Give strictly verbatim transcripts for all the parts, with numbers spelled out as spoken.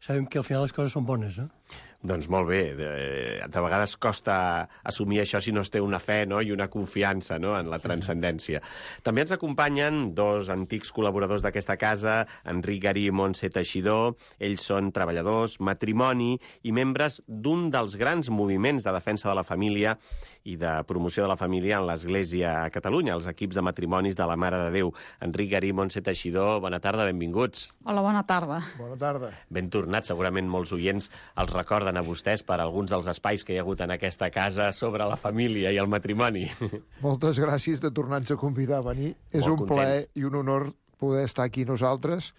sabem que al final les coses són bones, no? Doncs molt bé. De, de vegades costa assumir això si no es té una fe, no?, i una confiança, no?, en la transcendència. També ens acompanyen dos antics col·laboradors d'aquesta casa, Enric Garí i Montse Teixidor. Ells són treballadors, matrimoni i membres d'un dels grans moviments de defensa de la família i de promoció de la família en l'Església a Catalunya, els equips de matrimonis de la Mare de Déu. Enric Garí i Montse Teixidor, bona tarda, benvinguts. Hola, bona tarda. Bona tarda. Ben tornats, segurament molts oients els recorden a vostès per alguns dels espais que hi ha hagut en aquesta casa sobre la família i el matrimoni. Moltes gràcies de tornar-nos a convidar a venir. És un plaer i un honor poder estar aquí nosaltres.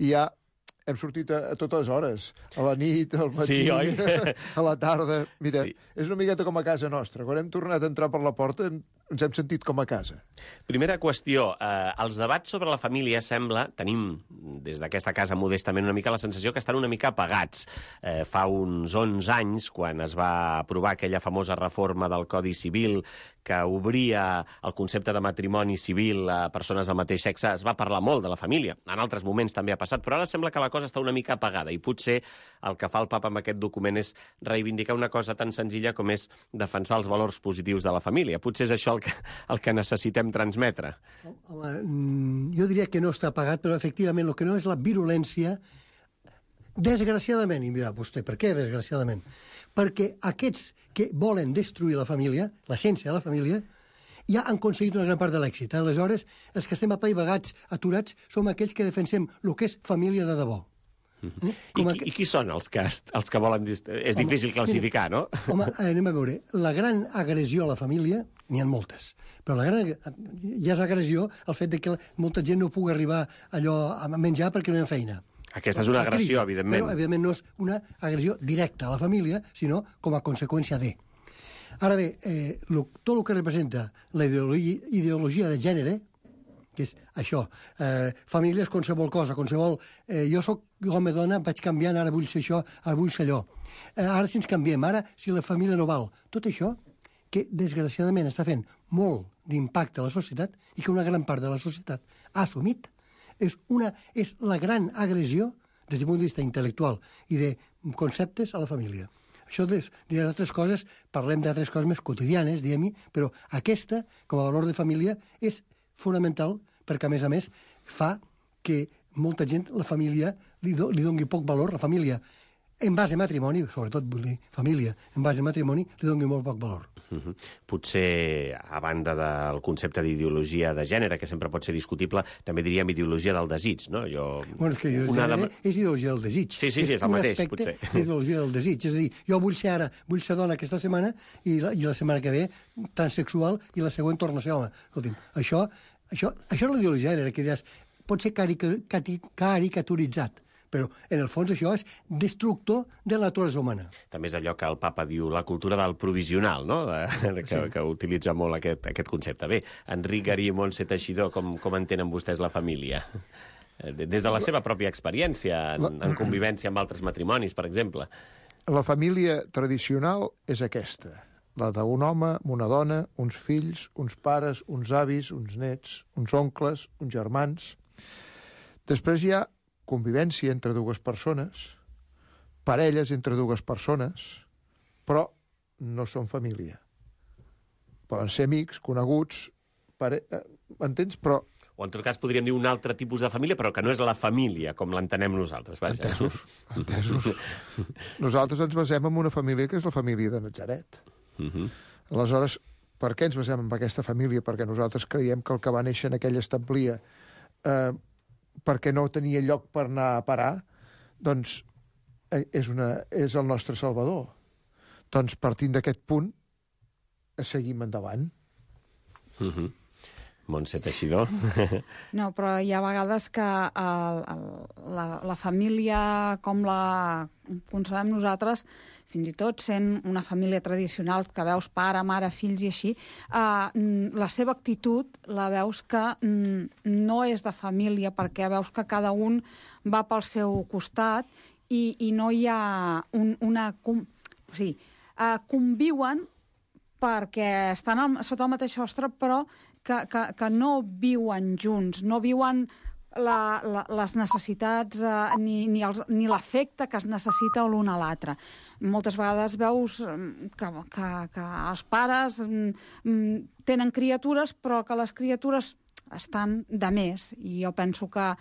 I ja hem sortit a, a totes hores, a la nit, al matí, sí, oi? a la tarda. Mira, sí. És una miqueta com a casa nostra. Quan hem tornat a entrar per la porta ens hem sentit com a casa. Primera qüestió. Eh, els debats sobre la família sembla, tenim des d'aquesta casa modestament una mica la sensació que estan una mica apagats. Eh, fa uns onze anys, quan es va aprovar aquella famosa reforma del Codi Civil que obria el concepte de matrimoni civil a persones del mateix sexe, es va parlar molt de la família. En altres moments també ha passat, però ara sembla que la cosa està una mica apagada i potser el que fa el papa amb aquest document és reivindicar una cosa tan senzilla com és defensar els valors positius de la família. Potser és això el que, el que necessitem transmetre. Home, jo diria que no està apagat, però efectivament el que no és la virulència, desgraciadament, i mira vostè, per què desgraciadament? Perquè aquests que volen destruir la família, l'essència de la família, ja han aconseguit una gran part de l'èxit. Aleshores, els que estem apaivagats, aturats, som aquells que defensem el que és família de debò. Mm-hmm. Eh? I, qui, I qui són els que, els que volen... Dist... És home, difícil classificar, mira, no? Home, anem a veure. La gran agressió a la família, n'hi ha moltes, però la gran... ja és agressió el fet de que molta gent no pugui arribar allò a menjar perquè no hi ha feina. Aquesta és una agressió, evidentment. Però, evidentment, no és una agressió directa a la família, sinó com a conseqüència de. Ara bé, eh, lo, tot el que representa la ideologia, ideologia de gènere, que és això, eh, família és qualsevol cosa, qualsevol... Eh, jo soc home-dona, vaig canviant, ara vull ser això, ara vull ser allò. Eh, ara si ens canviem, ara si la família no val. Tot això que, desgraciadament, està fent molt d'impacte a la societat i que una gran part de la societat ha assumit, és, una, és la gran agressió des del punt de vista intel·lectual i de conceptes a la família. Això d'altres coses, parlem d'altres coses més quotidianes, diguem-hi, però aquesta, com a valor de família, és fonamental perquè, a més a més, fa que molta gent, la família, li, do, li doni poc valor, la família, en base a matrimoni, sobretot vull dir família, en base a matrimoni, li doni molt poc valor. Uh-huh. Potser, a banda del concepte d'ideologia de gènere, que sempre pot ser discutible, també diríem ideologia del desig, no? Jo... Bueno, és que una de... és ideologia del desig. Sí, sí, sí, és el mateix, potser. És ideologia del desig. És a dir, jo vull ser ara, vull ser dona aquesta setmana i la, i la setmana que ve transsexual i la següent torno a ser home. Escolti'm, això, això, això és la ideologia de gènere, que diràs, pot ser caricaturitzat, però en el fons això és destructor de la naturalesa humana. També és allò que el papa diu, la cultura del provisional, no? De, de, que, sí. que utilitza molt aquest, aquest concepte. Bé, Enric Garí i Montse Teixidor, com, com entenen vostès la família? Des de la seva pròpia experiència, en, en convivència amb altres matrimonis, per exemple. La família tradicional és aquesta, la d'un home, una dona, uns fills, uns pares, uns avis, uns nets, uns oncles, uns germans. Després hi ha convivència entre dues persones, parelles entre dues persones, però no són família. Poden ser amics, coneguts, pare... entens? Però... O en tot cas podríem dir un altre tipus de família, però que no és la família, com l'entenem nosaltres. Vaja. Entesos, entesos. Nosaltres ens basem en una família que és la família de Natzaret. Uh-huh. Aleshores, per què ens basem en aquesta família? Perquè nosaltres creiem que el que va néixer en aquella establia eh, perquè no tenia lloc per anar a parar, doncs és, una, és el nostre Salvador. Doncs partint d'aquest punt, seguim endavant. Uh-huh. Montse Teixidor. No, però hi ha vegades que el, el, la, la família, com la concebem nosaltres, fins i tot sent una família tradicional que veus pare, mare, fills i així, eh, la seva actitud la veus que mm, no és de família, perquè veus que cada un va pel seu costat i, i no hi ha un, una... Com, o sigui, eh, conviuen perquè estan al, sota el mateix sostre, però que, que, que no viuen junts, no viuen la, la, les necessitats eh, ni, ni, els, ni l'afecte que es necessita l'un a l'altre. Moltes vegades veus que, que, que els pares mm, tenen criatures, però que les criatures estan de més. I jo penso que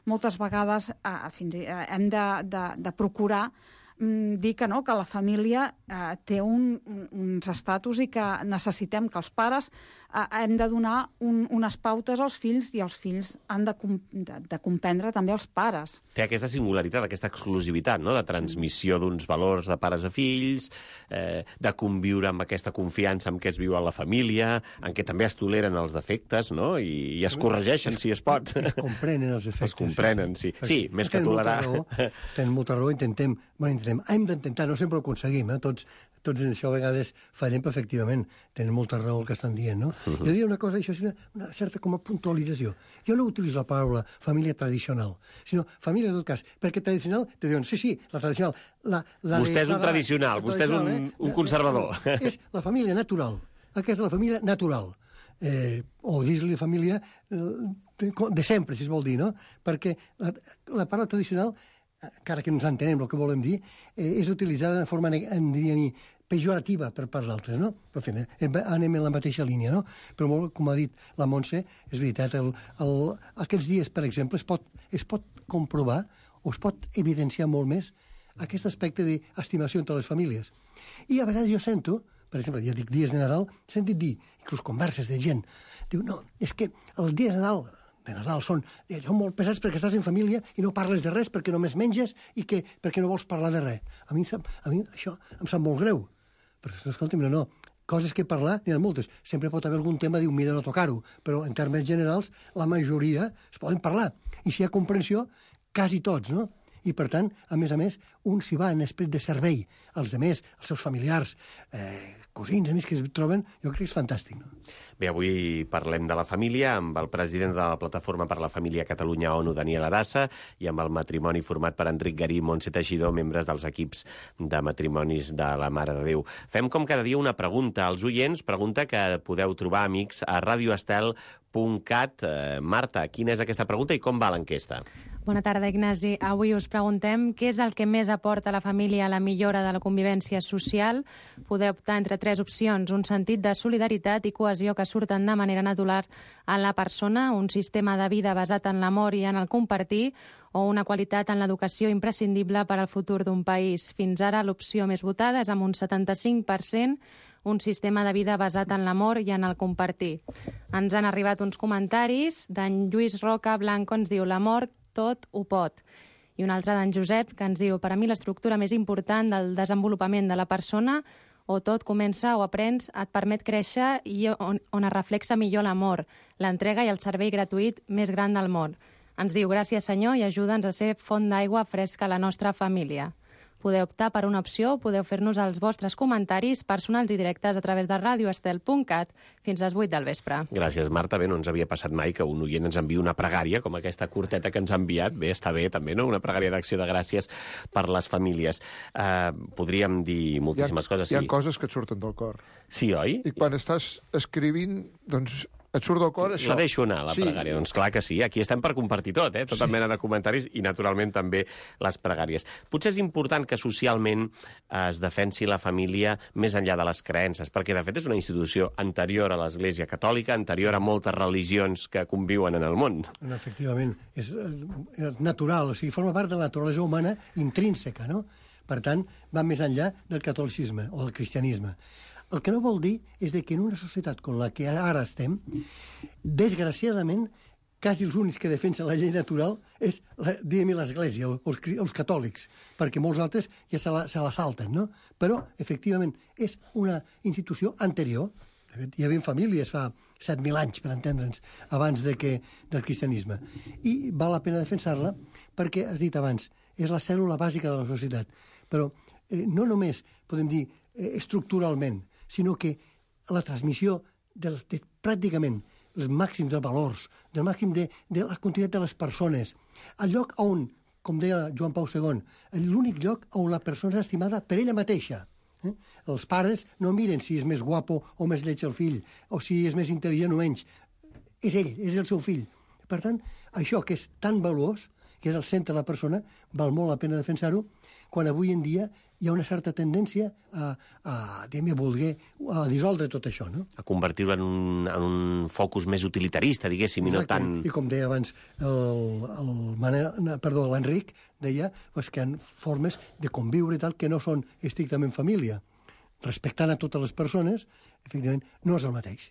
moltes vegades eh, fins i, eh, hem de, de, de procurar dir que no, que la família eh, té un, uns estatus i que necessitem que els pares eh, hem de donar un, unes pautes als fills i els fills han de, com, de, de comprendre també els pares. Té aquesta singularitat, aquesta exclusivitat, no?, de transmissió d'uns valors de pares a fills, eh, de conviure amb aquesta confiança amb què es viu a la família, en què també es toleren els defectes, no?, i, i es corregeixen si es pot. Es comprenen els efectes. Es comprenen, sí. Sí, sí, més que tolerar. Tenen molta raó, intentem, bueno, intentem hem d'intentar, no sempre ho aconseguim, eh? tots, tots en això a vegades fallem perfectivament, tenen molta raó el que estan dient, no? Uh -huh. Jo diria una cosa, això és una, una certa com a puntualització. Jo no utilitzo la paraula família tradicional, sinó família en tot cas, perquè tradicional, te diuen, sí, sí, la tradicional... La, la vostè de, és un la, tradicional, la, vostè és un, eh? un conservador. És la família natural, aquesta és la família natural. Eh, o dir-li família de, de sempre, si es vol dir, no? Perquè la, la paraula tradicional, encara que no ens entenem el que volem dir, eh, és utilitzada de forma, en diria mi, pejorativa per parts d'altres, no? Per fi, anem en la mateixa línia, no? Però molt, com ha dit la Montse, és veritat, el, el, aquests dies, per exemple, es pot, es pot comprovar o es pot evidenciar molt més aquest aspecte d'estimació entre les famílies. I a vegades jo sento, per exemple, ja dic dies de Nadal, he sentit dir, inclús converses de gent, diu, no, és que els dies de Nadal de Nadal són, són molt pesats perquè estàs en família i no parles de res perquè només menges i que, perquè no vols parlar de res. A mi, a mi això em sap molt greu. Però, escolta'm, no, no, coses que parlar n'hi ha moltes. Sempre pot haver algun tema, diu, mira, no tocar-ho, però en termes generals la majoria es poden parlar. I si hi ha comprensió, quasi tots, no? I, per tant, a més a més, un s'hi va en esperit de servei als demés, als seus familiars, eh, cosins, amics que es troben, jo crec que és fantàstic. No? Bé, avui parlem de la família amb el president de la Plataforma per la Família Catalunya ONU, Daniel Arassa, i amb el matrimoni format per Enric Garí i Montse Teixidor, membres dels equips de matrimonis de la Mare de Déu. Fem com cada dia una pregunta als oients, pregunta que podeu trobar, amics, a radioestel punt cat. Eh, Marta, quina és aquesta pregunta i com va l'enquesta? Bona tarda, Ignasi. Avui us preguntem què és el que més aporta a la família a la millora de la convivència social. Podeu optar entre tres opcions: un sentit de solidaritat i cohesió que surten de manera natural en la persona, un sistema de vida basat en l'amor i en el compartir, o una qualitat en l'educació imprescindible per al futur d'un país. Fins ara l'opció més votada és amb un setanta-cinc per cent, un sistema de vida basat en l'amor i en el compartir. Ens han arribat uns comentaris d'en Lluís Roca Blanco, ens diu: l'amor tot ho pot. I un altre d'en Josep, que ens diu: per a mi l'estructura més important del desenvolupament de la persona, o tot comença o aprens, et permet créixer i on, on es reflexa millor l'amor, l'entrega i el servei gratuït més gran del món. Ens diu: gràcies, senyor, i ajuda'ns a ser font d'aigua fresca a la nostra família. Podeu optar per una opció, podeu fer-nos els vostres comentaris personals i directes a través de radioestel punt cat fins a les vuit del vespre. Gràcies, Marta. Bé, no ens havia passat mai que un oient ens enviï una pregària, com aquesta curteta que ens ha enviat. Bé, està bé, també, no? Una pregària d'acció de gràcies per les famílies. Uh, podríem dir moltíssimes ha, coses. Hi ha sí. coses que et surten del cor. Sí, oi? I quan estàs escrivint, doncs et surt del cor això. La deixo anar, la sí. pregària. Doncs clar que sí, aquí estem per compartir tot, eh? Tota sí. mena de comentaris i, naturalment, també les pregàries. Potser és important que socialment es defensi la família més enllà de les creences, perquè, de fet, és una institució anterior a l'Església Catòlica, anterior a moltes religions que conviuen en el món. Efectivament, és, és natural, o sigui, forma part de la naturalesa humana intrínseca, no? Per tant, va més enllà del catolicisme o del cristianisme. El que no vol dir és que en una societat com la que ara estem, desgraciadament, quasi els únics que defensen la llei natural és, diguem-hi, l'Església, els, els catòlics, perquè molts altres ja se la, se la salten, no? Però, efectivament, és una institució anterior. De fet, hi havia famílies fa set mil anys, per entendre'ns, abans de que, del cristianisme. I val la pena defensar-la perquè, has dit abans, és la cèl·lula bàsica de la societat. Però eh, no només, podem dir, eh, estructuralment, sinó que la transmissió de, de pràcticament els màxims de valors, del màxim de, de la continuïtat de les persones, el lloc on, com deia Joan Pau segon, l'únic lloc on la persona és estimada per ella mateixa. Eh? Els pares no miren si és més guapo o més lleig el fill, o si és més intel·ligent o menys. És ell, és el seu fill. Per tant, això que és tan valuós, que és el centre de la persona, val molt la pena defensar-ho, quan avui en dia hi ha una certa tendència a, a, a voler a dissoldre tot això, no? A convertir-ho en, un, en un focus més utilitarista, diguéssim, i no tant... I com deia abans el, el Manel, perdó, l'Enric, deia pues, que hi ha formes de conviure i tal que no són estrictament família. Respectant a totes les persones, efectivament, no és el mateix.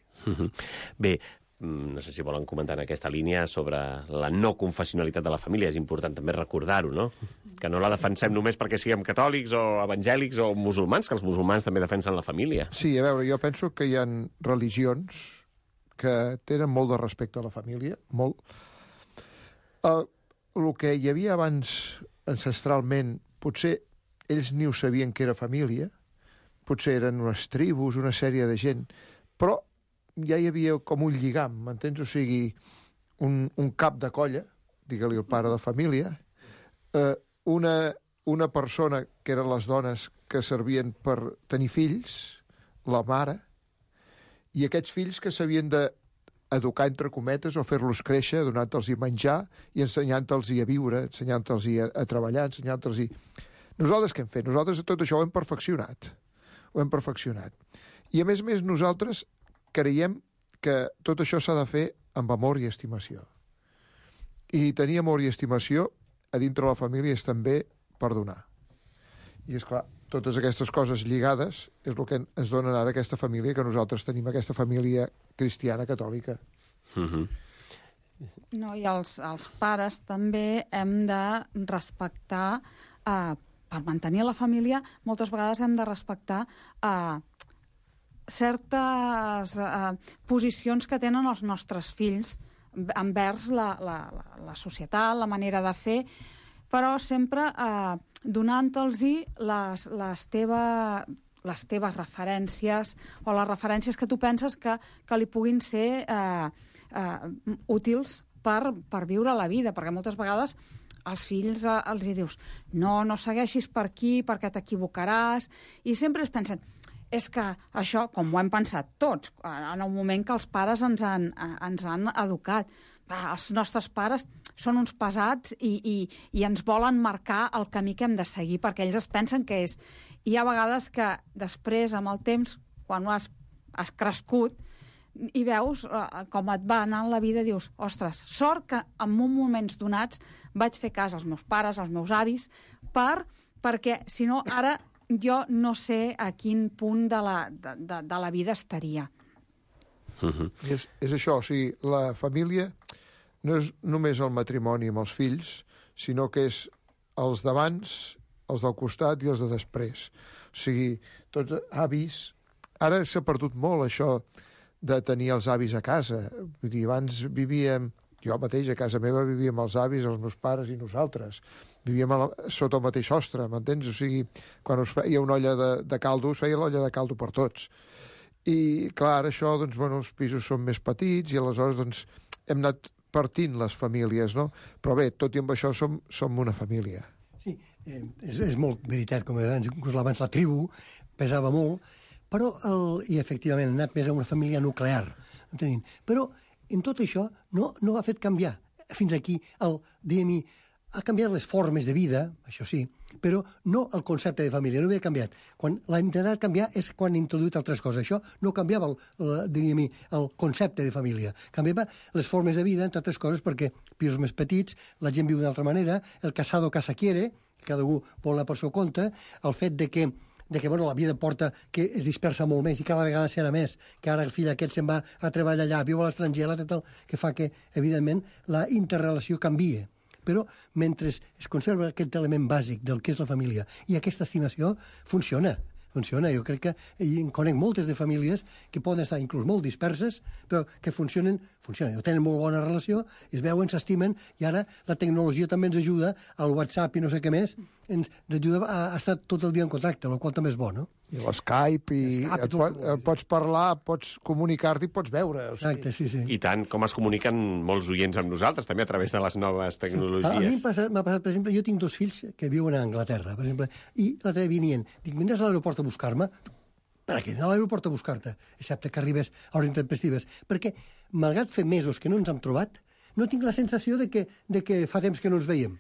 Bé, no sé si volen comentar en aquesta línia sobre la no confessionalitat de la família. És important també recordar-ho, no? Que no la defensem només perquè siguem catòlics o evangèlics o musulmans, que els musulmans també defensen la família. Sí, a veure, jo penso que hi ha religions que tenen molt de respecte a la família, molt. El, el que hi havia abans ancestralment, potser ells ni ho sabien que era família, potser eren unes tribus, una sèrie de gent, però ja hi havia com un lligam, m'entens? O sigui, un, un cap de colla, digue-li el pare de família, eh, una, una persona que eren les dones que servien per tenir fills, la mare, i aquests fills que s'havien d'educar, entre cometes, o fer-los créixer, donant-los menjar i ensenyant-los a viure, ensenyant-los a, a treballar, ensenyant-los... Nosaltres què hem fet? Nosaltres tot això ho hem perfeccionat. Ho hem perfeccionat. I, a més a més, nosaltres creiem que tot això s'ha de fer amb amor i estimació. I tenir amor i estimació a dintre la família és també perdonar. I, és clar, totes aquestes coses lligades és el que ens donen ara aquesta família, que nosaltres tenim aquesta família cristiana catòlica. Mm-hmm. No, i els, els pares també hem de respectar, eh, per mantenir la família, moltes vegades hem de respectar eh, certes eh, posicions que tenen els nostres fills envers la, la, la societat, la manera de fer, però sempre eh, donant-los les, les, teva, les teves referències o les referències que tu penses que, que li puguin ser eh, eh, útils per, per viure la vida, perquè moltes vegades als fills eh, els dius no, no segueixis per aquí perquè t'equivocaràs, i sempre es pensen és que això, com ho hem pensat tots, en el moment que els pares ens han, ens han educat. Els nostres pares són uns pesats i, i, i ens volen marcar el camí que hem de seguir, perquè ells es pensen que és. I hi ha vegades que després, amb el temps, quan has, has crescut, i veus eh, com et va anar en la vida, dius, ostres, sort que en moments donats vaig fer cas als meus pares, als meus avis, per, perquè, si no, ara jo no sé a quin punt de la, de, de, de la vida estaria. Uh-huh. És, és això, o sigui, la família no és només el matrimoni amb els fills, sinó que és els d'abans, els del costat i els de després. O sigui, tots avis... Ara s'ha perdut molt això de tenir els avis a casa. Vull dir, abans vivíem... Jo mateix a casa meva vivia amb els avis, els meus pares i nosaltres. Vivíem a la, sota el mateix sostre, m'entens? O sigui, quan us feia una olla de, de caldo, us feia l'olla de caldo per tots. I, clar, això, doncs, bueno, els pisos són més petits i aleshores, doncs, hem anat partint les famílies, no? Però bé, tot i amb això som, som una família. Sí, eh, és, és molt veritat, com abans, inclús abans la tribu pesava molt, però, el, i efectivament, ha anat més a una família nuclear, entenent. Però en tot això no, no ha fet canviar. Fins aquí, el, diguem-hi, ha canviat les formes de vida, això sí, però no el concepte de família, no havia canviat. Quan l'ha intentat canviar és quan ha introduït altres coses. Això no canviava el, el, diguem-hi, el concepte de família. Canviava les formes de vida, entre altres coses, perquè pisos més petits, la gent viu d'una altra manera, el casado casa quiere, cada un vol anar per seu compte, el fet de que de que bueno, la vida porta que es dispersa molt més i cada vegada serà més, que ara el fill aquest se'n va a treballar allà, viu a l'estranger, tal, que fa que, evidentment, la interrelació canvie. Però mentre es conserva aquest element bàsic del que és la família i aquesta estimació, funciona. Funciona. Jo crec que en conec moltes de famílies que poden estar inclús molt disperses, però que funcionen, funcionen, tenen molt bona relació, es veuen, s'estimen, i ara la tecnologia també ens ajuda, el WhatsApp i no sé què més, ens ajuda a estar tot el dia en contacte, el qual també és bo, no? I l'Skype, i Skype, et, pot, et pots parlar, pots comunicar-te i pots veure. O sigui. Exacte, sí, sí. I tant, com es comuniquen molts oients amb nosaltres, també a través de les noves tecnologies. A mi m'ha passat, m'ha passat, per exemple, jo tinc dos fills que viuen a Anglaterra, per exemple, i l'altre dia venien, dic, vindràs a l'aeroport a buscar-me? Per què anar a l'aeroport a buscar-te? Excepte que arribes a hores intempestives. Perquè, malgrat fer mesos que no ens hem trobat, no tinc la sensació de que, de que fa temps que no ens veiem.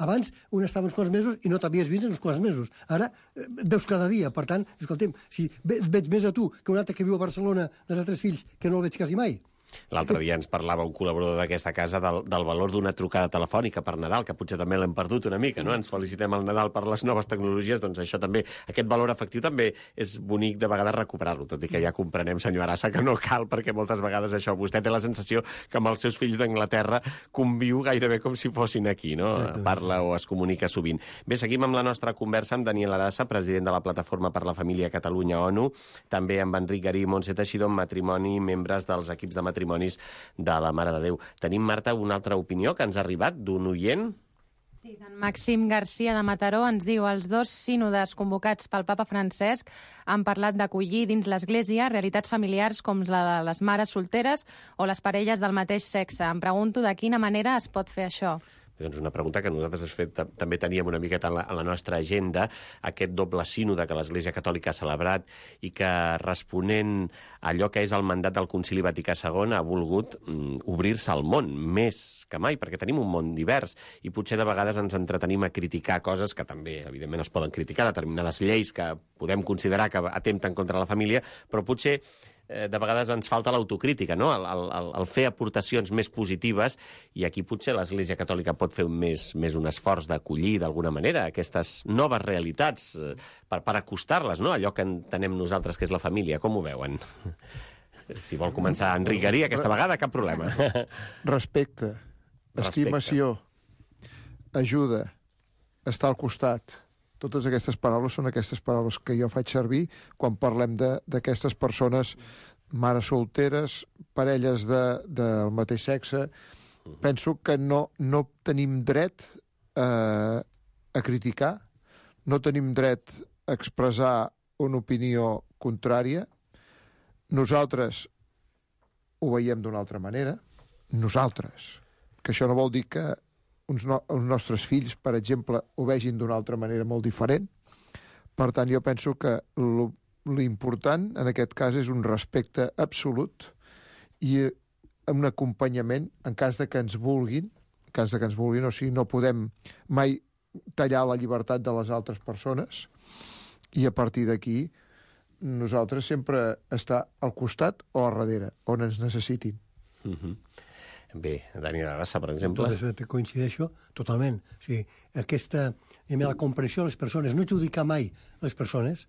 Abans un estava uns quants mesos i no t'havies vist en uns quants mesos. Ara eh, et veus cada dia. Per tant, escolta'm, si ve, veig més a tu que un altre que viu a Barcelona dels altres fills que no el veig quasi mai. L'altre dia ens parlava un col·laborador d'aquesta casa del, del valor d'una trucada telefònica per Nadal, que potser també l'hem perdut una mica, no? Ens felicitem al Nadal per les noves tecnologies, doncs això també, aquest valor afectiu també és bonic de vegades recuperar-lo, tot i que ja comprenem, senyor Arassa, que no cal, perquè moltes vegades això, vostè té la sensació que amb els seus fills d'Anglaterra conviu gairebé com si fossin aquí, no? Exactament. Parla o es comunica sovint. Bé, seguim amb la nostra conversa amb Daniel Arassa, president de la Plataforma per la Família Catalunya-ONU, també amb Enric Garí i Montse Teixidor, en matrimoni, membres dels equips de matrimoni de la Mare de Déu. Tenim, Marta, una altra opinió que ens ha arribat d'un oient? Sí, en Màxim Garcia de Mataró ens diu els dos sínodes convocats pel papa Francesc han parlat d'acollir dins l'Església realitats familiars com la de les mares solteres o les parelles del mateix sexe. Em pregunto de quina manera es pot fer això. Doncs una pregunta que nosaltres has fet, també teníem una miqueta en la, en la nostra agenda, aquest doble sínode que l'Església Catòlica ha celebrat i que, responent a allò que és el mandat del Concili Vaticà segon, ha volgut mm, obrir-se al món, més que mai, perquè tenim un món divers i potser de vegades ens entretenim a criticar coses que també, evidentment, es poden criticar, determinades lleis que podem considerar que atempten contra la família, però potser de vegades ens falta l'autocrítica, no? el, el, el fer aportacions més positives, i aquí potser l'Església Catòlica pot fer més, més un esforç d'acollir d'alguna manera aquestes noves realitats eh, per, per acostar-les, no? Allò que entenem nosaltres que és la família. Com ho veuen? Si vol començar Enric Garí, aquesta vegada, cap problema. Respecte, estimació, ajuda, estar al costat. Totes aquestes paraules són aquestes paraules que jo faig servir quan parlem d'aquestes persones, mares solteres, parelles de, del mateix sexe. Penso que no, no tenim dret eh, a criticar, no tenim dret a expressar una opinió contrària. Nosaltres ho veiem d'una altra manera. Nosaltres. Que això no vol dir que uns, no, uns nostres fills, per exemple, ho vegin d'una altra manera molt diferent. Per tant, jo penso que l'important en aquest cas és un respecte absolut i un acompanyament en cas de que ens vulguin, en cas de que ens vulguin, o sigui, no podem mai tallar la llibertat de les altres persones, i a partir d'aquí nosaltres sempre estar al costat o a darrere, on ens necessitin. Mm-hmm. Bé, Daniel Arassa, per exemple. Tot coincideixo totalment. O sigui, aquesta, la comprensió de les persones, no judicar mai les persones.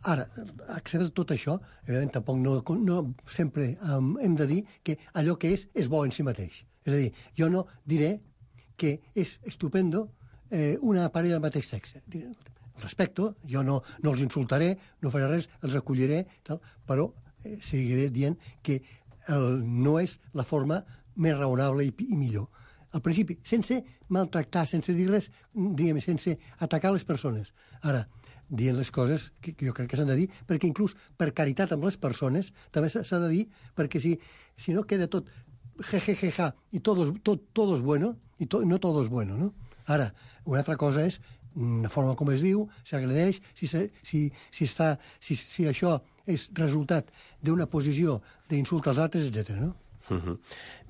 Ara, acceptes tot això, evidentment tampoc no, no sempre um, hem de dir que allò que és, és bo en si mateix. És a dir, jo no diré que és estupendo eh, una parella del mateix sexe. Diré, respecto, jo no, no els insultaré, no faré res, els acolliré, tal, però eh, seguiré dient que el, no és la forma més raonable i, i millor. Al principi, sense maltractar, sense dir-les, diguem, sense atacar les persones. Ara, dient les coses que, que jo crec que s'han de dir, perquè inclús per caritat amb les persones també s'ha de dir, perquè si, si no queda tot jejejeja i tot, tot, tot és bueno, i to, no tot és bueno, no? Ara, una altra cosa és la forma com es diu, s'agredeix, si, si, si, està, si, si això és resultat d'una posició d'insult als altres, etcètera, no? Uh-huh.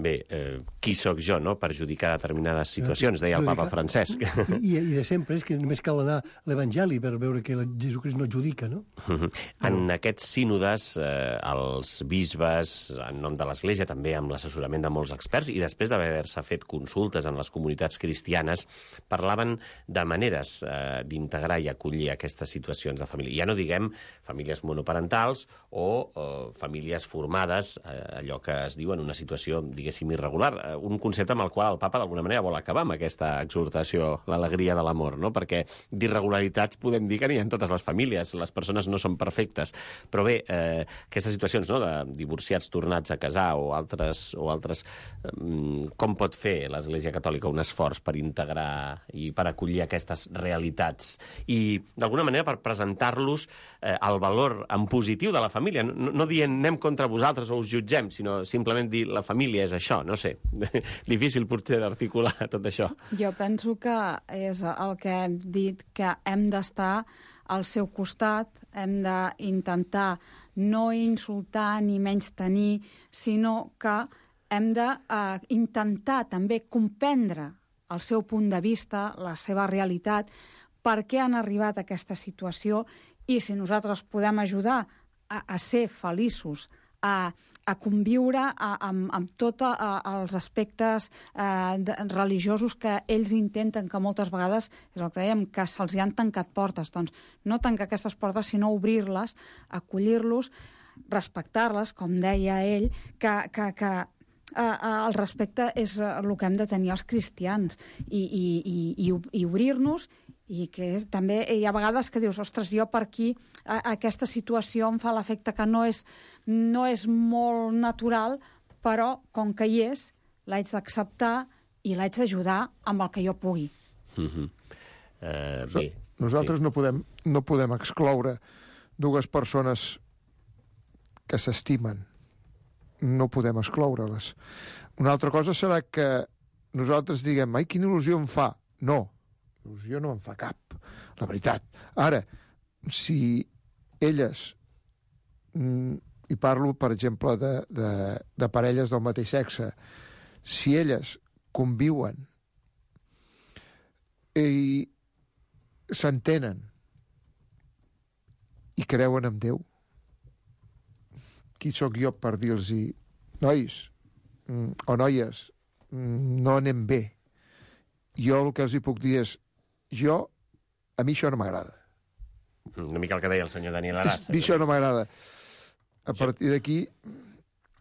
Bé, eh, qui sóc jo, no?, per judicar determinades situacions, deia el papa Francesc. I, i de sempre és que només cal anar a l'Evangeli per veure que Jesucrist no judica, no? Uh-huh. En aquests sínodes, eh, els bisbes, en nom de l'Església, també amb l'assessorament de molts experts, i després d'haver-se fet consultes en les comunitats cristianes, parlaven de maneres eh, d'integrar i acollir aquestes situacions de família. Ja no diguem famílies monoparentals o eh, famílies formades, eh, allò que es diu en una situació, diguéssim, irregular. Un concepte amb el qual el papa d'alguna manera vol acabar amb aquesta exhortació, l'alegria de l'amor, no? Perquè d'irregularitats podem dir que n'hi ha en totes les famílies, les persones no són perfectes. Però bé, eh, aquestes situacions, no?, de divorciats tornats a casar o altres, o altres eh, com pot fer l'Església Catòlica un esforç per integrar i per acollir aquestes realitats i, d'alguna manera, per presentar-los eh, el valor en positiu de la família, no, no dient anem contra vosaltres o us jutgem, sinó simplement dir la família és això, no sé. Difícil potser d'articular tot això. Jo penso que és el que hem dit, que hem d'estar al seu costat, hem d'intentar no insultar ni menys tenir, sinó que hem d'intentar uh, també comprendre el seu punt de vista, la seva realitat, per què han arribat a aquesta situació i si nosaltres podem ajudar a, a ser feliços, a, a conviure a, amb, amb tots els aspectes eh, de, religiosos que ells intenten, que moltes vegades, és el que dèiem, que se'ls hi han tancat portes. Doncs no tancar aquestes portes, sinó obrir-les, acollir-los, respectar-les, com deia ell, que, que, que eh, el respecte és el que hem de tenir els cristians i, i, i, i obrir-nos, i que és, també hi ha vegades que dius, ostres, jo per aquí a, aquesta situació em fa l'efecte que no és, no és molt natural, però com que hi és, l'haig d'acceptar i l'haig d'ajudar amb el que jo pugui. Mm-hmm. uh, bé, Nosaltres sí. no, podem, no podem excloure dues persones que s'estimen. No podem excloure-les. Una altra cosa serà que nosaltres diguem, ai, quina il·lusió em fa. No, il·lusió no en fa cap, la veritat. Ara, si elles, i parlo, per exemple, de, de, de parelles del mateix sexe, si elles conviuen i s'entenen i creuen en Déu, qui sóc jo per dir-los nois o noies, no anem bé. Jo el que els hi puc dir és jo, a mi això no m'agrada. Una mica el que deia el senyor Daniel Arassa. A mi això no m'agrada. A partir d'aquí,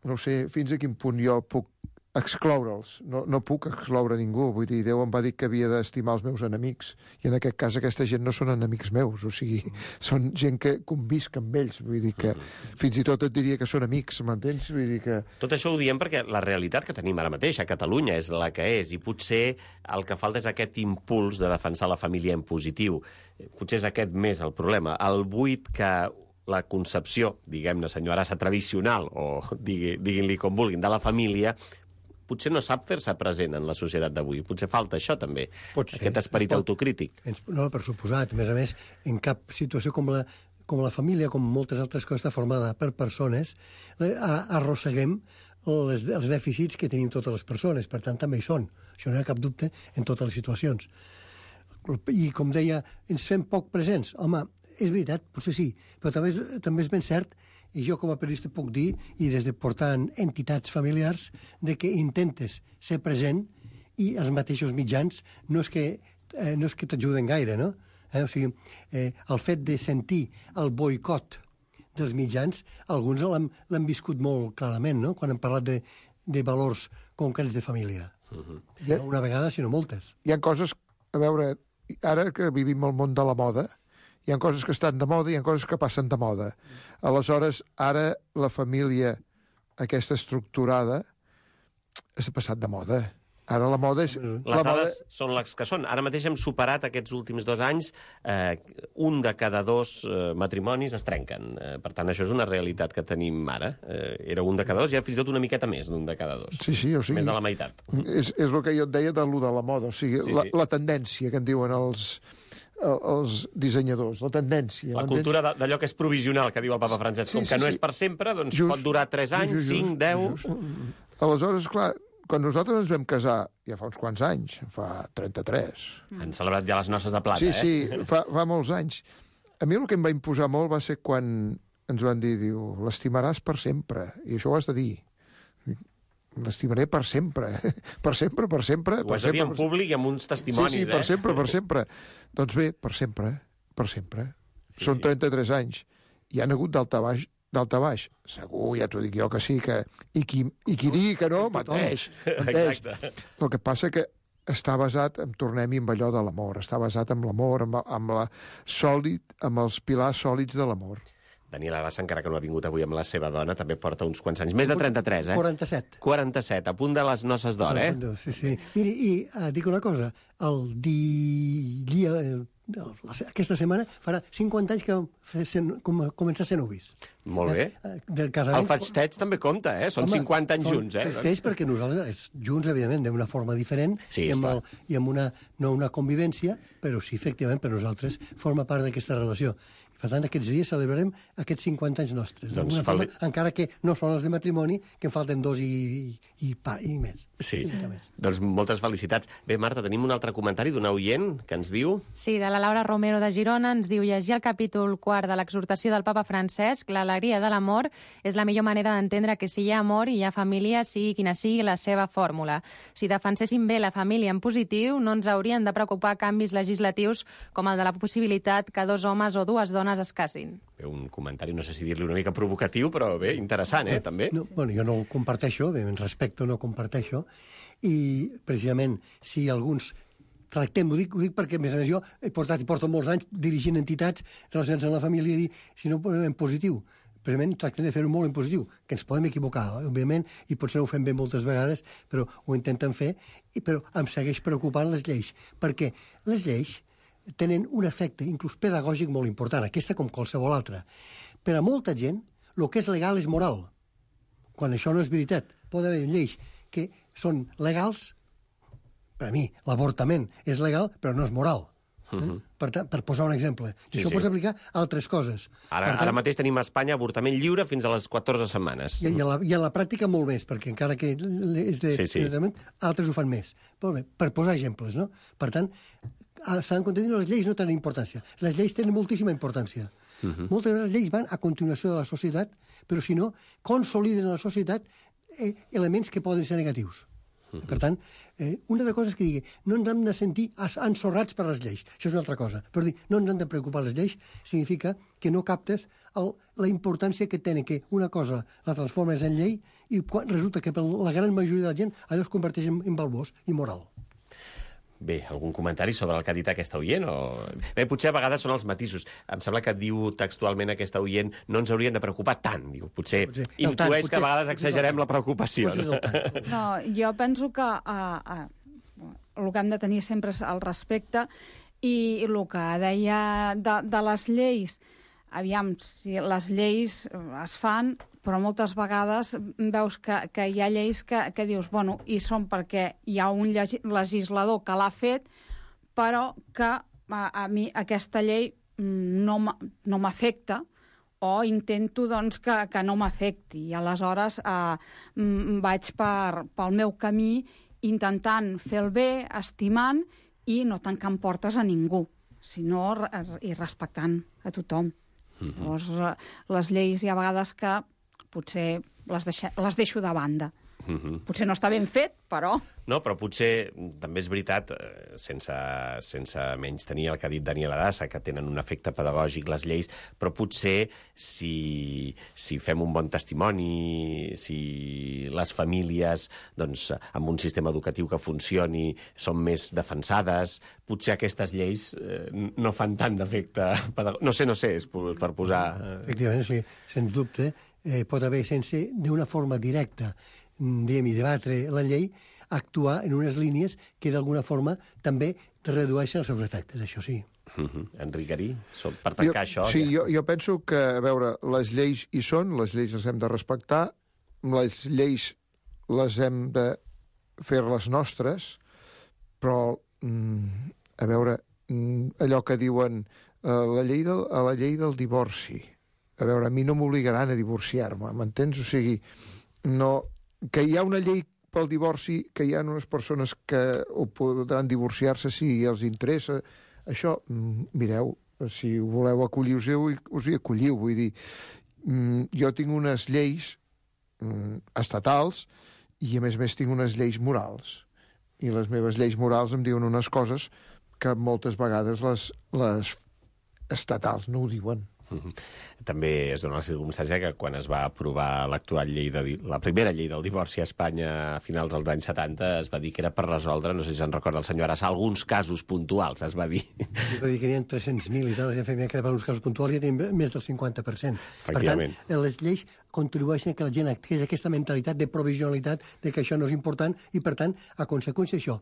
no sé fins a quin punt jo puc excloure'ls. No, no puc excloure ningú. Vull dir, Déu em va dir que havia d'estimar els meus enemics. I en aquest cas aquesta gent no són enemics meus. O sigui, són gent que convisc amb ells. Vull dir que fins i tot et diria que són amics, m'entens? Vull dir que... Tot això ho diem perquè la realitat que tenim ara mateix a Catalunya és la que és, i potser el que falta és aquest impuls de defensar la família en positiu. Potser és aquest més el problema. El buit que la concepció, diguem-ne, senyor Arassa, tradicional, o digui, diguin-li com vulguin, de la família, potser no sap fer-se present en la societat d'avui. Potser falta això, també, Pot ser, aquest esperit pot... autocrític. No, per suposat. A més a més, en cap situació com la, com la família, com moltes altres coses, està formada per persones, arrosseguem les, els dèficits que tenim totes les persones. Per tant, també hi són. Això no hi ha cap dubte en totes les situacions. I, com deia, ens fem poc presents. Home, és veritat, potser sí, però també és, també és ben cert, i jo com a periodista puc dir, i des de portar entitats familiars, de que intentes ser present i els mateixos mitjans no és que, eh, no és que t'ajuden gaire, no? Eh? O sigui, eh, el fet de sentir el boicot dels mitjans, alguns l'han viscut molt clarament, no? Quan hem parlat de, de valors concrets de família. Uh-huh. No una vegada, sinó moltes. Hi ha coses, a veure, ara que vivim el món de la moda, hi ha coses que estan de moda i hi ha coses que passen de moda. Aleshores, ara la família, aquesta estructurada, s'ha passat de moda. Ara la moda és... Les la dades moda... són les que són. Ara mateix hem superat aquests últims dos anys, eh, un de cada dos eh, matrimonis es trenquen. Eh, per tant, això és una realitat que tenim ara. Eh, era un de cada dos, i ara fins i tot una miqueta més d'un de cada dos. Sí, sí, o sigui... Més de la meitat. És, és el que jo et deia de lo de la moda, o sigui, sí, la, sí. la tendència que en diuen els... els dissenyadors, la tendència. La cultura d'allò que és provisional, que diu el papa Francesc, sí, com sí, que no sí. és per sempre, doncs just, pot durar tres anys, just, cinc, deu... Just. Aleshores, clar, quan nosaltres ens vam casar, ja fa uns quants anys, fa trenta-tres... Mm. Han celebrat ja les noces de plata, sí, eh? Sí, sí, fa, fa molts anys. A mi el que em va imposar molt va ser quan ens van dir, diu, l'estimaràs per sempre, i això ho has de dir. L'estimaré per sempre, per sempre, per sempre. Ho has de dir en públic i amb uns testimonis, sí, sí, eh? per sempre, per sempre. Doncs bé, per sempre, per sempre. Sí, Són trenta-tres anys. Hi ha hagut d'alta baix, d'alta baix. Segur, ja t'ho dic jo que sí, que... I qui, i qui digui que no, menteix. menteix. El que passa que està basat, en tornem-hi amb allò de l'amor, està basat en l'amor, amb, amb, la sòlid, amb els pilars sòlids de l'amor. Daniel Arassa, encara que no ha vingut avui amb la seva dona, també porta uns quants anys. Més de trenta-tres, eh? quaranta-set. quaranta-set, a punt de les noces d'or, eh? Sí, sí. Miri, i uh, dic una cosa, el dia... aquesta setmana farà cinquanta anys que com, començar a ser nuvis. Molt bé. Eh, del casament... El festeig també compta, eh? Són Home, cinquanta anys són junts, eh? Festeig perquè nosaltres, junts, evidentment, d'una forma diferent, Sí, i amb, esclar. el, i amb una, no una convivència, però sí, efectivament, per nosaltres forma part d'aquesta relació. Per tant, aquests dies celebrarem aquests cinquanta anys nostres. Doncs D'alguna forma, feli- encara que no són els de matrimoni, que en falten dos i, i, i, pa, i més. Sí. I mica més. Doncs moltes felicitats. Bé, Marta, tenim un altre comentari d'una oient que ens diu... Sí, de la Laura Romero de Girona ens diu llegir el capítol quart de l'exhortació del papa Francesc, l'alegria de l'amor és la millor manera d'entendre que si hi ha amor i hi ha família, sigui quina sigui la seva fórmula. Si defenséssim bé la família en positiu, no ens haurien de preocupar canvis legislatius com el de la possibilitat que dos homes o dues dones es casin. Bé, un comentari, no sé si dir-li una mica provocatiu, però bé, interessant, eh, també. No, bueno, jo no ho comparteixo, bé, en respecte no ho comparteixo, i precisament si alguns tractem, ho dic, ho dic perquè, a més a més, jo he portat i porto molts anys dirigint entitats relacionades amb la família i dir, si no ho podem en positiu, precisament tractem de fer-ho molt en positiu, que ens podem equivocar, òbviament, i potser no ho fem bé moltes vegades, però ho intenten fer, i, però em segueix preocupant les lleis, perquè les lleis tenen un efecte, inclús pedagògic, molt important, aquesta com qualsevol altra. Per a molta gent, el que és legal és moral, quan això no és veritat. Pot haver lleis que són legals, per a mi, l'avortament és legal, però no és moral. Uh -huh. eh? per, per posar un exemple. I Sí, això sí. pots aplicar a altres coses. Ara, Per tant, ara mateix tenim a Espanya avortament lliure fins a les catorze setmanes. I, i, a la, I a la pràctica molt més, perquè encara que és de... Sí, sí. altres ho fan més. Molt bé, per posar exemples, no? Per tant, s'han de dir, no, les lleis no tenen importància. Les lleis tenen moltíssima importància. Uh -huh. Moltes vegades les lleis van a continuació de la societat, però si no, consoliden a la societat eh, elements que poden ser negatius. Uh -huh. Per tant, eh, una altra cosa és que digui, no ens hem de sentir ensorrats per les lleis. Això és una altra cosa. Però dir, no ens han de preocupar les lleis significa que no captes el, la importància que tenen que una cosa la transformes en llei i quan resulta que per la gran majoria de la gent allò es converteix en, en balbós i moral. Bé, algun comentari sobre el que ha dit aquesta oient? O... Bé, potser a vegades són els matisos. Em sembla que diu textualment aquesta oient no ens haurien de preocupar tant. Diu, potser, Potser. potser intueix Tant, que potser, a vegades potser exagerem és el la preocupació. Potser és No? el tant. No, jo penso que uh, uh, el que hem de tenir sempre és el respecte i el que deia de, de les lleis, aviam, si les lleis es fan, però moltes vegades veus que, que hi ha lleis que, que dius, bueno, i són perquè hi ha un legislador que l'ha fet, però que a, a mi aquesta llei no no m'afecta, o intento doncs, que, que no m'afecti. I aleshores eh, vaig per, pel meu camí intentant fer el bé, estimant, i no tancant portes a ningú, sinó i respectant a tothom. Mm-hmm. Llavors, les lleis hi ha vegades que potser les, deixe, les deixo de banda. Mm-hmm. Potser no està ben fet, però... No, però potser també és veritat, eh, sense, sense menys tenir el que ha dit Daniel Arassa, que tenen un efecte pedagògic les lleis, però potser si, si fem un bon testimoni, si les famílies, doncs, amb un sistema educatiu que funcioni, són més defensades, potser aquestes lleis eh, no fan tant d'efecte pedagògic. No sé, no sé, és per posar... Eh... Efectivament, sí, sens dubte, eh, pot haver, sense d'una forma directa, diguem, i debatre la llei, actuar en unes línies que d'alguna forma també redueixen els seus efectes, això sí. Uh -huh. Enric Garí, per tancar jo, això... Sí, ja... jo, jo penso que, a veure, les lleis hi són, les lleis les hem de respectar, les lleis les hem de fer-les nostres, però, mm, a veure, mm, allò que diuen eh, la llei del, a la llei del divorci, a veure, a mi no m'obligaran a divorciar-me, m'entens? O sigui, no... que hi ha una llei pel divorci, que hi ha unes persones que ho podran divorciar-se si els interessa. Això, mireu, si ho voleu acollir, us hi, us hi acolliu. Vull dir, jo tinc unes lleis estatals i, a més a més, tinc unes lleis morals. I les meves lleis morals em diuen unes coses que moltes vegades les, les estatals no ho diuen. També es dona la circumstància que quan es va aprovar l'actual llei de, la primera llei del divorci a Espanya a finals dels anys setanta es va dir que era per resoldre, no sé si se'n recorda el senyor Arassa, alguns casos puntuals, es va dir. Es va dir que n'hi ha tres-cents mil i tal, i efectivament que per alguns casos puntuals ja tenim més del cinquanta per cent. Per tant, les lleis contribueixen a que la gent adquireixi aquesta mentalitat de provisionalitat, de que això no és important, i per tant, a conseqüència d'això,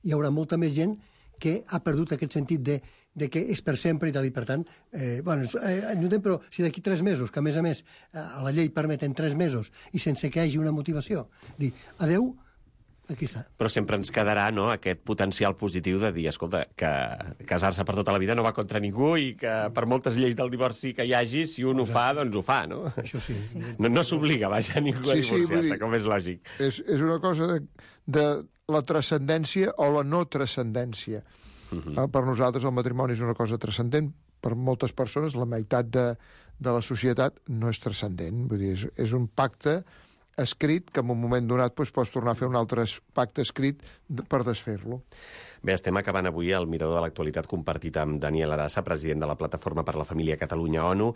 hi haurà molta més gent que ha perdut aquest sentit de, de que és per sempre i tal, i per tant, eh, bueno, eh, entenem, però si d'aquí tres mesos, que a més a més a la llei permeten tres mesos i sense que hi hagi una motivació, dir adeu, aquí està. Però sempre ens quedarà, no?, aquest potencial positiu de dir, escolta, que casar-se per tota la vida no va contra ningú i que per moltes lleis del divorci que hi hagi, si un ho fa, doncs ho fa, no? Això sí. sí. No, no s'obliga, vaja, ningú a Sí, sí, divorciar-se, vull dir, com és lògic. És, és una cosa de, de la transcendència o la no transcendència. Uh-huh. Per nosaltres el matrimoni és una cosa transcendent. Per moltes persones, la meitat de, de la societat no és transcendent. Vull dir, és, és un pacte escrit que en un moment donat doncs, pots tornar a fer un altre pacte escrit per desfer-lo. Bé, estem acabant avui el Mirador de l'Actualitat compartit amb Daniel Arassa, president de la Plataforma per la Família Catalunya-ONU,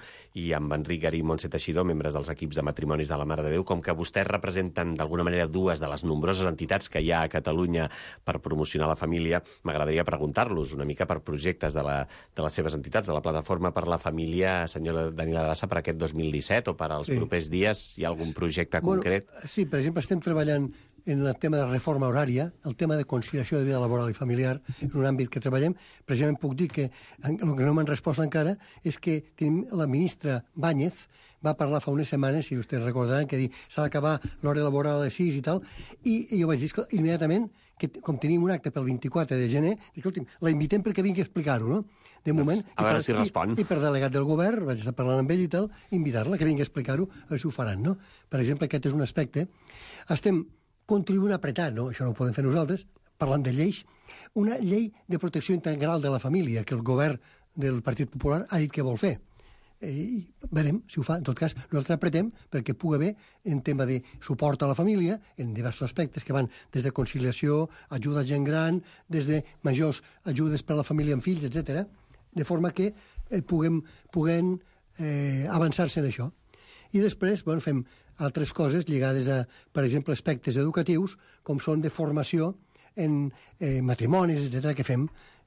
i amb Enric Garí i Montse Teixidor, membres dels equips de matrimonis de la Mare de Déu. Com que vostès representen d'alguna manera dues de les nombroses entitats que hi ha a Catalunya per promocionar la família, m'agradaria preguntar-los una mica per projectes de, la, de les seves entitats, de la Plataforma per la Família, senyor Daniel Arassa, per aquest dos mil disset o per als sí. propers dies. Hi ha algun projecte bueno, concret? Sí, per exemple, estem treballant en el tema de reforma horària, el tema de conciliació de vida laboral i familiar, és un àmbit que treballem. Precisament puc dir que el que no m'han respost encara és que tenim la ministra Báñez, va parlar fa unes setmanes, si vostès recordaran, que s'ha d'acabar l'hora laboral a les sis i tal, i, i jo vaig dir immediatament que, com tenim un acte pel vint-i-quatre de gener, dic, escolti'm, la invitem perquè vingui a explicar-ho, no? De moment, a veure si respon. I, I per delegat del govern, vaig estar parlant amb ell i tal, invitar-la que vingui a explicar-ho, a veure si ho faran, no? Per exemple, aquest és un aspecte. Estem contribuint a apretar, no? Això no ho podem fer nosaltres, parlant de lleis, una llei de protecció integral de la família que el govern del Partit Popular ha dit que vol fer. I veurem si ho fa. En tot cas, nosaltres apretem perquè pugui haver en tema de suport a la família, en diversos aspectes que van des de conciliació, ajuda a gent gran, des de majors ajudes per a la família amb fills, etcètera, de forma que eh, puguem, puguem eh, avançar-se en això. I després, bueno, fem altres coses lligades a, per exemple, aspectes educatius, com són de formació en eh, matrimonis, etcètera, que fem,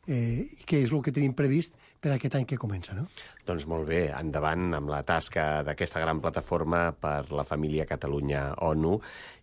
eh, que és el que tenim previst per aquest any que comença, no? Doncs molt bé, endavant amb la tasca d'aquesta gran plataforma per la família Catalunya-ONU,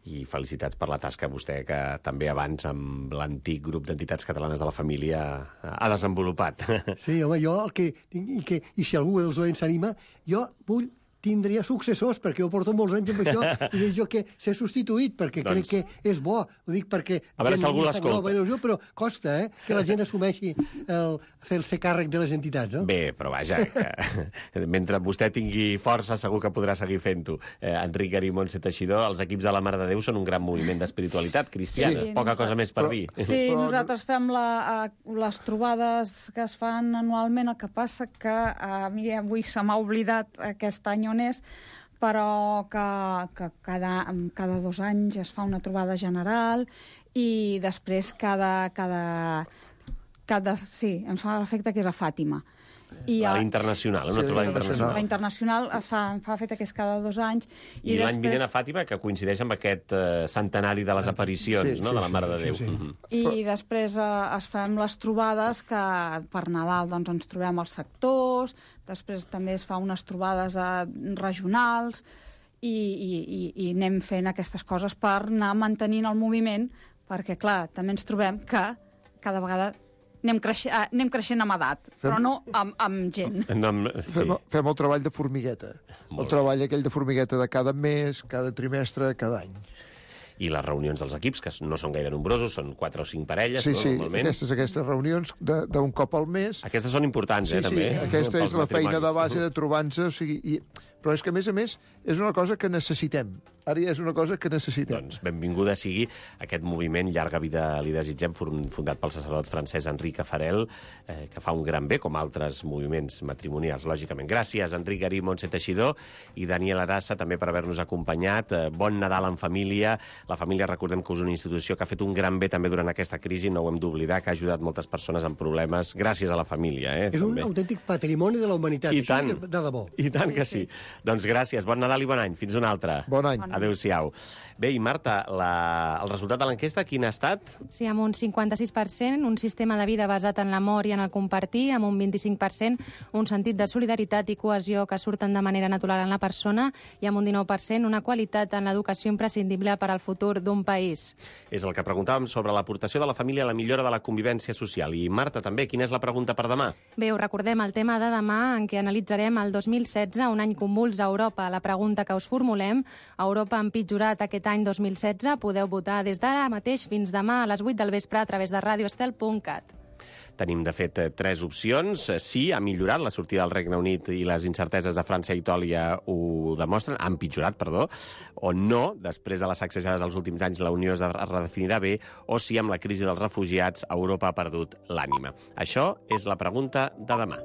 i felicitats per la tasca vostè que també abans amb l'antic grup d'entitats catalanes de la família ha desenvolupat. Sí, home, jo el que... I, que, i si algú dels oients s'anima, jo vull tindria successors, perquè jo porto molts anys amb això, i dic jo que s'ha substituït, perquè doncs... crec que és bo. Ho dic perquè... A veure si algú l'escolta. Però costa, eh?, que la gent assumeixi el fer-se càrrec de les entitats, no? Bé, però vaja, que mentre vostè tingui força segur que podrà seguir fent-ho. Eh, Enric Garí i Montse Teixidor, els equips de la Mare de Déu són un gran moviment d'espiritualitat cristiana. Sí, poca cosa més per però, dir. Sí, nosaltres fem la, les trobades que es fan anualment, el que passa que a mi avui se m'ha oblidat aquest any on és, però que, que cada, cada dos anys es fa una trobada general i després cada... cada, cada sí, em fa l'efecte que és a Fàtima. I la a, internacional, una sí, trobada sí, internacional. La internacional es fa, em fa l'efecte que és cada dos anys. I, I l'any després... vinent a Fàtima, que coincideix amb aquest uh, centenari de les aparicions, sí, no?, sí, de la Mare sí, de Déu. sí, sí. Uh -huh. I Però... després eh, es fem les trobades que per Nadal doncs, ens trobem als sectors, després també es fa unes trobades eh, regionals i, i, i, i anem fent aquestes coses per anar mantenint el moviment, perquè, clar, també ens trobem que cada vegada anem, creixent, anem creixent amb edat, fem... però no amb, amb gent. No, amb... Sí. Fem, fem el treball de formigueta. Molt el treball aquell de formigueta de cada mes, cada trimestre, cada any. I les reunions dels equips, que no són gaire nombrosos, són quatre o cinc parelles, sí, no, sí, normalment. aquestes, aquestes reunions d'un cop al mes. Aquestes són importants, sí, eh, sí, també. Aquesta és la feina de base uh -huh. de trobar-nos, o sigui, i... però és que, a més a més, és una cosa que necessitem. Ara ja és una cosa que necessitem. Doncs benvinguda sigui aquest moviment Llarga Vida li desitgem, fundat pel sacerdot francès Enric Afarel, eh, que fa un gran bé, com altres moviments matrimonials, lògicament. Gràcies, Enric Garí, Montse Teixidor i Daniel Arassa, també per haver-nos acompanyat. Eh, bon Nadal en família. La família, recordem que és una institució que ha fet un gran bé també durant aquesta crisi, no ho hem d'oblidar, que ha ajudat moltes persones amb problemes, gràcies a la família. Eh, és també. un autèntic patrimoni de la humanitat. I Això tant. és de debò. I tant que sí. Doncs gràcies, bon Nadal i bon any. Fins un altre. Bon any. Adéu-siau. Bé, i Marta, la... el resultat de l'enquesta quin ha estat? Sí, amb un cinquanta-sis per cent, un sistema de vida basat en l'amor i en el compartir, amb un vint-i-cinc per cent, un sentit de solidaritat i cohesió que surten de manera natural en la persona, i amb un dinou per cent, una qualitat en l'educació imprescindible per al futur d'un país. És el que preguntàvem sobre l'aportació de la família a la millora de la convivència social. I Marta, també, quina és la pregunta per demà? Bé, us recordem el tema de demà, en què analitzarem el dos mil setze, un any convuls a Europa. La pregunta que us formulem: Europa ha empitjorat aquest any dos mil setze? Podeu votar des d'ara mateix fins demà a les vuit del vespre a través de radio estel punt cat. Tenim, de fet, tres opcions. Sí, ha millorat la sortida del Regne Unit i les incerteses de França i Itàlia ho demostren, ha empitjorat, perdó, o no, després de les sacsejades dels últims anys la Unió es redefinirà bé, o si amb la crisi dels refugiats Europa ha perdut l'ànima. Això és la pregunta de demà.